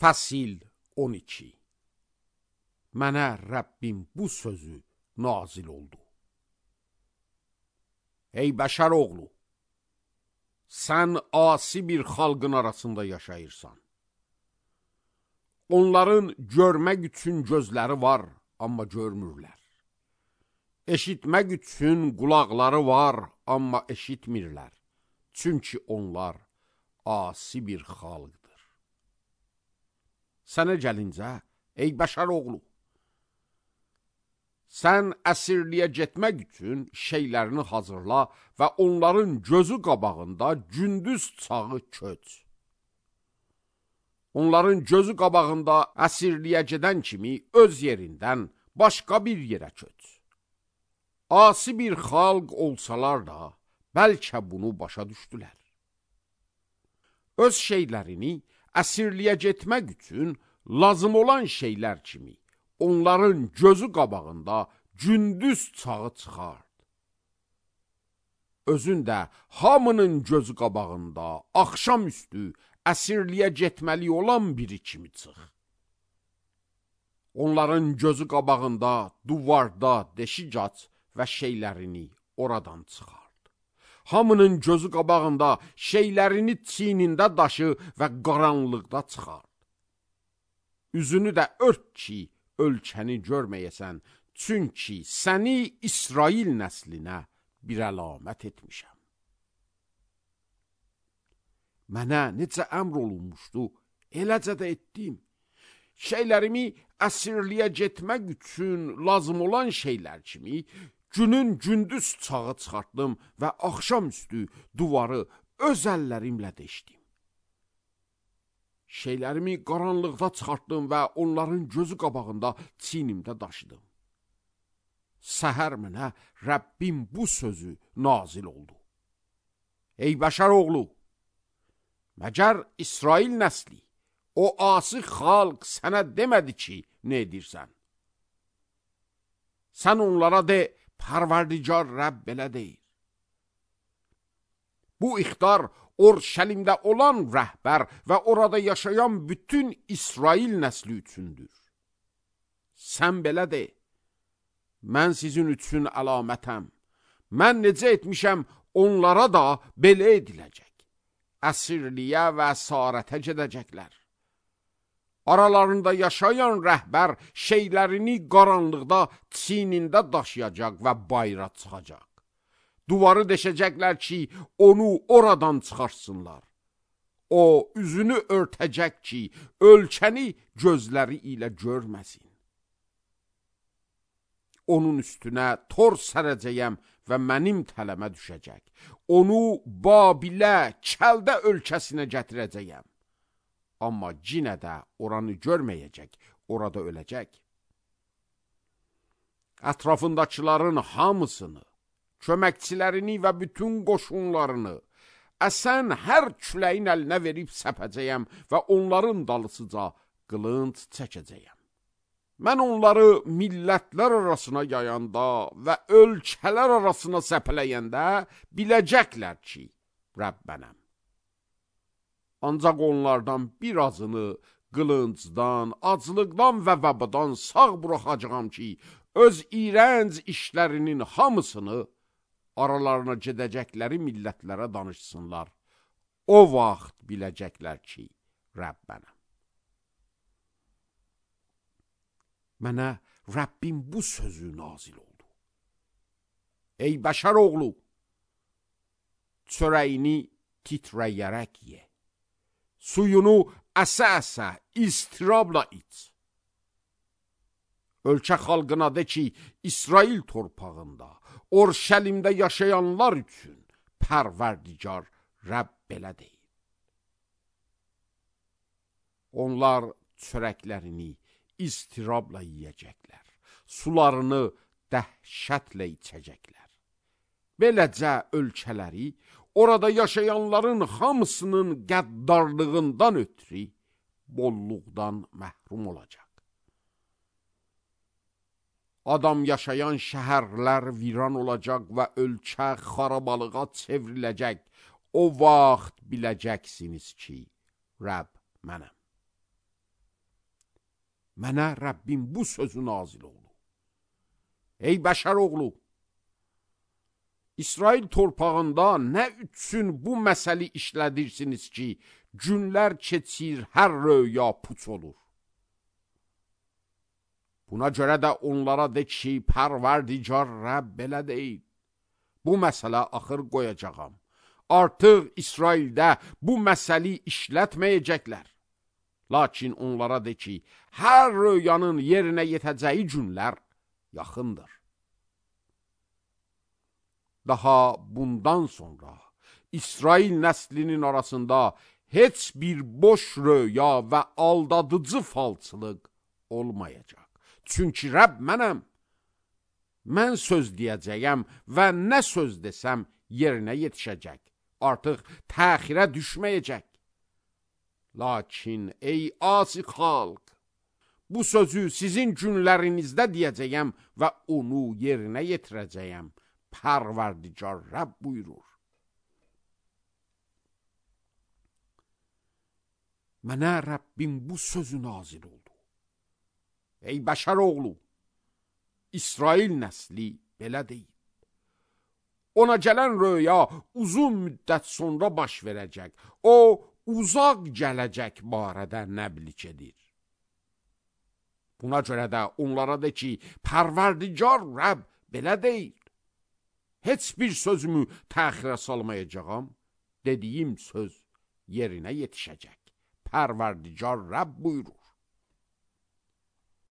Fəsil 12. Mənə Rəbbim bu sözü nazil oldu. Ey bəşər oğlu, sən asi bir xalqın arasında yaşayırsan. Onların görmək üçün gözləri var, amma görmürlər. Eşitmək üçün qulaqları var, amma eşitmirlər. Çünki onlar asi bir xalqdır. Sənə gəlincə, ey bəşər oğlu, sən əsirliyə getmək üçün şeylərini hazırla və onların gözü qabağında gündüz çağı köç. Onların gözü qabağında əsirliyə gedən kimi öz yerindən başqa bir yerə köç. Asi bir xalq olsalar da, bəlkə bunu başa düşdülər. Öz şeylərini əsirliyə getmək üçün lazım olan şeylər kimi onların gözü qabağında gündüz çağı çıxart. Özün də hamının gözü qabağında axşamüstü əsirliyə getməli olan biri kimi çıx. Onların gözü qabağında duvarda deşik aç və şeylərini oradan çıxart. Hamının gözü qabağında şeylərini çiynində daşı və qaranlıqda çıxart. Üzünü də ört ki, ölkəni görməyəsən, çünki səni İsrail nəslinə bir əlamət etmişəm. Mənə necə əmr olunmuşdu, eləcə də etdim. Şeylərimi əsirliyə getmək üçün lazım olan şeylər kimi, günün gündüz çağı çıxartdım və axşamüstü duvarı öz əllərimlə deşdim. Şeylərimi qaranlıqda çıxartdım və onların gözü qabağında çiynimdə daşıdım. Səhər mənə Rəbbim bu sözü nazil oldu. Ey bəşər oğlu, məgər İsrail nəsli, o asi xalq sənə demədi ki, nə edirsən? Sən onlara de, Pərverdigar Rəbb belə deyir. Bu ixtar Orşəlimdə olan rəhbər və orada yaşayan bütün İsrail nəsli üçündür. Sən belə de, mən sizin üçün əlamətəm. Mən necə etmişəm, onlara da belə ediləcək. Əsirliyə və əsarətə gedəcəklər. Aralarında yaşayan rəhbər şeylərini qaranlıqda çiynində daşıyacaq və bayra çıxacaq. Duvarı deşəcəklər ki, onu oradan çıxarsınlar. O, üzünü örtəcək ki, ölkəni gözləri ilə görməsin. Onun üstünə tor sərəcəyəm və mənim tələmə düşəcək. Onu Babilə, Kəldə ölkəsinə gətirəcəyəm. Amma cinə də oranı görməyəcək, orada öləcək. Ətrafındakıların hamısını, köməkçilərini və bütün qoşunlarını əsən hər küləyin əlinə verib səpəcəyəm və onların dalısıca qılınc çəkəcəyəm. Mən onları millətlər arasına yayanda və ölkələr arasına səpələyəndə biləcəklər ki, Rəbb mənəm. Ancaq onlardan birazını qılıncdan, aclıqdan və vəbadan sağ buraxacağam ki, öz iyrənc işlərinin hamısını aralarına gedəcəkləri millətlərə danışsınlar. O vaxt biləcəklər ki, Rəbb mənəm. Mənə Rəbbim bu sözü nazil oldu. Ey bəşər oğlu, çörəyini titrəyərək ye. Suyunu əsə-əsə, istirabla iç. Ölkə xalqına de ki, İsrail torpağında, Orşəlimdə yaşayanlar üçün Pərverdigar Rəbb belə deyir. Onlar çörəklərini istirabla yiyəcəklər, sularını dəhşətlə içəcəklər. Beləcə ölkələri, orada yaşayanların hamısının qəddarlığından ötürü bolluqdan məhrum olacaq. Adam yaşayan şəhərlər viran olacaq və ölkə xarabalığa çevriləcək. O vaxt biləcəksiniz ki, Rəbb mənəm. Mənə Rəbbim bu sözü nazil oldu. Ey bəşər oğlu, İsrail torpağında nə üçün bu məsəli işlədirsiniz ki, günlər keçir, hər röya puç olur. Buna görə də onlara de ki, Pərverdigar Rəbb belə deyil. Bu məsələ axır qoyacağam. Artıq İsraildə bu məsəli işlətməyəcəklər. Lakin onlara de ki, hər röyanın yerinə yetəcəyi günlər yaxındır. Daha bundan sonra İsrail nəslinin arasında heç bir boş röya və aldadıcı falçılıq olmayacaq. Çünki Rəbb mənəm. Mən söz deyəcəyəm və nə söz desəm yerinə yetişəcək. Artıq təxirə düşməyəcək. Lakin ey asi xalq, bu sözü sizin günlərinizdə deyəcəyəm və onu yerinə yetirəcəyəm. Pərverdigar Rəbb buyurur. Mənə Rəbbim bu sözü nazil oldu. Ey bəşər oğlu, İsrail nəsli belə deyil. Ona gələn röya uzun müddət sonra baş verəcək. O, uzaq gələcək barədə nəblik edir. Buna görə də onlara de ki, Pərverdigar Rəbb belə deyil. Heç bir sözümü təxirə salmayacağam. Dediyim söz yerinə yetişəcək. Pərverdigar Rəbb buyurur.